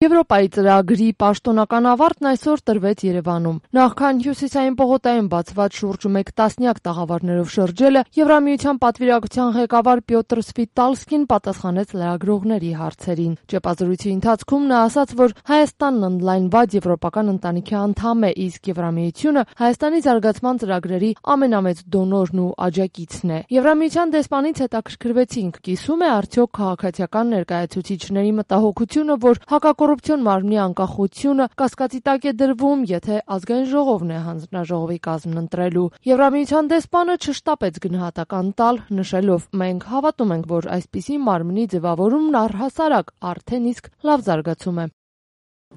Եվրոպայի ծրագրի պաշտոնական ավարտն այսօր տրվեց Երևանում։ Նախքան Հյուսիսային պողոտայում բացված շուրջ 1 տասնյակ տաղավարներով շրջելը, Եվրամիության պատվիրակության ղեկավար Պյոտր Սվիտալսկին պատասխանեց լրագրողների հարցերին։ Ճեպազրույցի ընթացքում նա ասաց, որ Հայաստանն ընդլայնված եվրոպական ընտանիքի անդամ է, իսկ Եվրամիությունը Հայաստանի զարգացման ծրագրերի ամենամեծ դոնորն ու աջակիցն է։ Եվրամիության դեսպանից հետաքրքրվեցինք, կիսում է արդյոք քաղաքացիական ներկայացուցիչների մտահոգությունը, որ հակակոռուպցիոն մարմնի անկախությունը կասկածի տակ է դրվում, եթե ազգային ժողովն է հանձնաժողովի կազմն ընտրելու։ Եվրամիության դեսպանը չշտապեց գնահատական տալ, նշելով. «Մենք հավատում ենք, որ այսպիսի մարմնի ձևավորումն առհասարակ արդեն իսկ լավ զարգացում է»։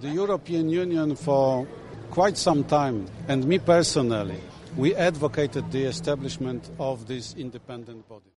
The European Union for quite some time, and me personally, we advocated the establishment of this independent body.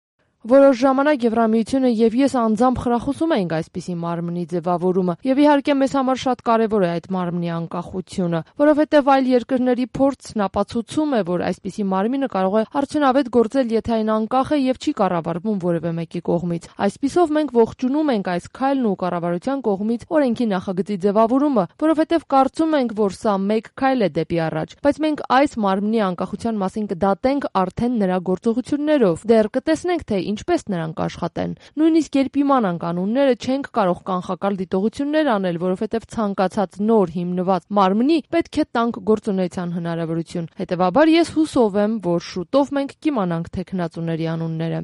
Որոշ ժամանակ Եվրամիությունը եւ ես անձամբ խրախուսում ենք այսպիսի մարմնի ձևավորումը, եւ իհարկե մեզ համար շատ կարեւոր է այդ մարմնի անկախությունը, որովհետեւ այլ երկրների փորձն ապացուցում է, որ այսպիսի մարմինը կարող է արդյունավետ գործել, եթե այն անկախ է եւ չի կառավարվում որևէ մեկի կողմից։ Այսպիսով մենք ողջունում ենք այս քայլն ու կառավարության կողմից օրենքի նախագծի ձևավորումը, որովհետեւ կարծում ենք, որ սա մեկ քայլ է դեպի առաջ, բայց մենք այս մարմնի անկախության մասին կդատենք արդեն նրա գործողություններով։ Դեռ կտեսնենք, թե ինչպես նրանք աշխատեն։ Նույնիսկ երբ իմանան կանոնները, չենք կարող կանխակալ դիտողություններ անել, որովհետև ցանկացած նոր հիմնված մարմնի պետք է տանք գործունեության հնարավորություն։ Հետևաբար ես հուսով եմ, որ շուտով մենք կիմանանք թեկնածուների անունները։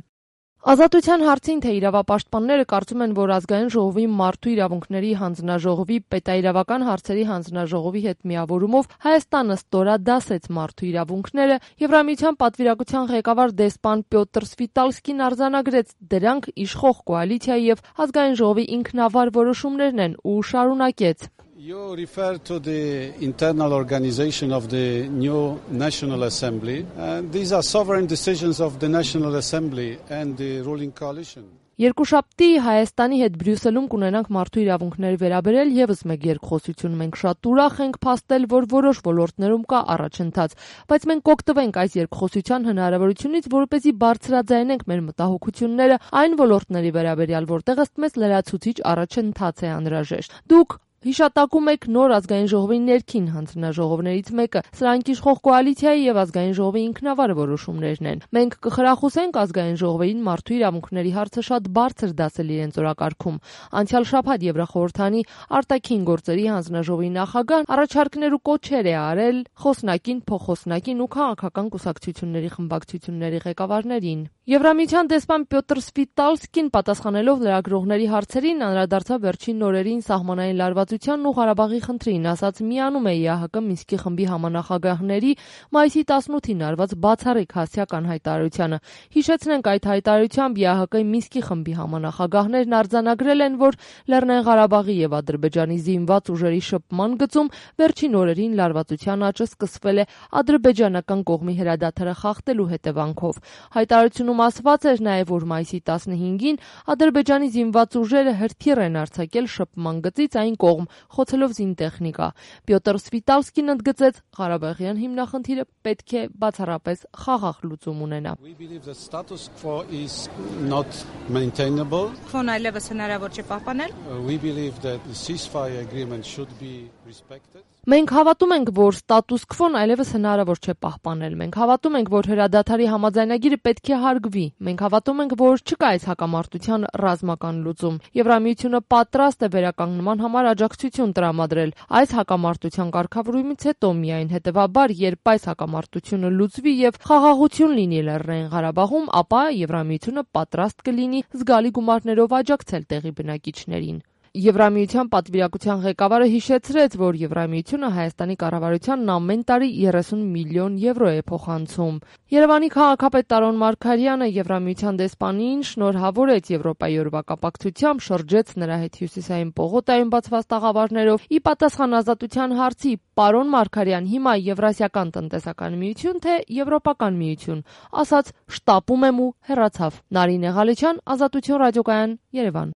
Ազատության հարցին, թե իրավապաշտպանները կարծում են, որ ազգային ժողովի մարդու իրավունքների հանձնաժողովի պետաիրավական հարցերի հանձնաժողովի հետ միավորումով Հայաստանը ստորադասեց մարդու իրավունքները, Եվրամիության պատվիրակության ղեկավար դեսպան Պյոտր Սվիտալսկին արձանագրեց, դրանք իշխող կոալիցիայի եւ ազգային ժողովի ինքնավար որոշումներն են ու շարունակեց. You refer to the internal organization of the new National Assembly, and these are sovereign decisions of the National Assembly and the ruling coalition. Երկուշաբթի Հայաստանի հետ Բրյուսելում կունենանք մարդու իրավունքների վերաբերել եւս մեկ երկխոսություն։ Մենք շատ ուրախ ենք փաստել, որ որոշ ոլորտներում կա առաջընթաց, բայց մենք կօգտվենք այս երկխոսության հնարավորությունից, որպեսզի բարձրաձայնենք մեր մտահոգությունները այն ոլորտների վերաբերյալ, որտեղ ըստ մեզ լրացուցիչ առաջընթաց է անհրաժեշտ։ Դուք հիշատակում եք նոր ազգային ժողովի ներքին հանձնաժողովներից մեկը, սրանք իշխող կոալիցիայի եւ ազգային ժողովի ինքնավար որոշումներն են։ Մենք կխրախուսենք ազգային ժողովին մարդու իրավունքների հարցը շատ բարձր դասել իրենց օրակարգում։ Անցյալ շաբաթ Եվրախորհրդանի արտաքին գործերի հանձնաժողովի նախագահն առաջարկներ ու կոչեր է արել խոսնակին, փոխխոսնակին ու քաղաքական կուսակցությունների խմբակցությունների ղեկավարներին։ Եվրամիության դեսպան Պյոտր Սվիտալսկին պատասխանելով լրագրողների հարցերին անդրադարձավ վերջին օրերին սահմանային լարվածությանն ու Ղարաբաղի խնդրին, ասաց միանում է ԵԱՀԿ Մինսկի խմբի համանախագահների մայիսի 18-ին արված բացառիկ հասցեական հայտարարությանը։ Հիշեցնենք, այդ հայտարարությամբ ԵԱՀԿ Մինսկի խմբի համանախագահներն արձանագրել են, որ Լեռնային Ղարաբաղի եւ Ադրբեջանի զինված ուժերի շփման գծում վերջին օրերին լարվածության աճը սկսվել է ադրբեջանական կողմի հրադադարը խախտելու հետևանքով։ Հայտարարությունում ասված էր նաև, որ մայիսի 15-ին Ադրբեջանի զինված ուժերը հրթիռ են արձակել շփման գծից այն կողմ, խոցելով զինտեխնիկա։ Պյոտր Սվիտալսկին ընդգծեց, Ղարաբաղյան հիմնախնդիրը պետք է բացառապես խաղաղ լուծում ունենա։ We believe that status quo is not maintainable. Քվոն այլևս հնարավոր չէ պահպանել։ We believe that the ceasefire agreement should be respected. Մենք հավատում ենք, որ ստատուս քվոն այլևս հնարավոր չէ պահպանել։ Մենք հավատում ենք, որ հրադադարի համաձայնագիրը պետք է հարգվի։ Մենք հավատում ենք, որ չկա այս հակամարտության ռազմական լուծում։ Եվրամիությունը պատրաստ է վերականգնման համար աջակցություն տրամադրել այս հակամարտության կարգավորումից հետո միայն, հետևաբար, երբ այս հակամարտությունը լուծվի եւ խաղաղություն լինի Լեռնային Ղարաբաղում, ապա Եվրամիությունը պատրաստ կլինի զգալի գումարներով աջակցել տեղի բնակիչներին։ Եվրամիության պատվիրակության ղեկավարը հիշեցրեց, որ Եվրամիությունը Հայաստանի կառավարությանն ամեն տարի 30 միլիոն եվրո է փոխանցում։ Երևանի քաղաքապետ Տարոն Մարգարյանը Եվրամիության դեսպանին շնորհավորեց Եվրոպայի օրվա կապակցությամբ, շրջեց նրա հետ Հյուսիսային պողոտայում բացված տաղավարներով։ Ի պատասխան ազատության հարցի, պարոն Մարգարյան, հիմա Եվրասիական տնտեսական միություն, թե Եվրոպական միություն, ասաց՝ շտապում եմ ու հեռացավ։ Նարինե Ղալեչյան, Ազատություն ռադիոկայան, Երևան։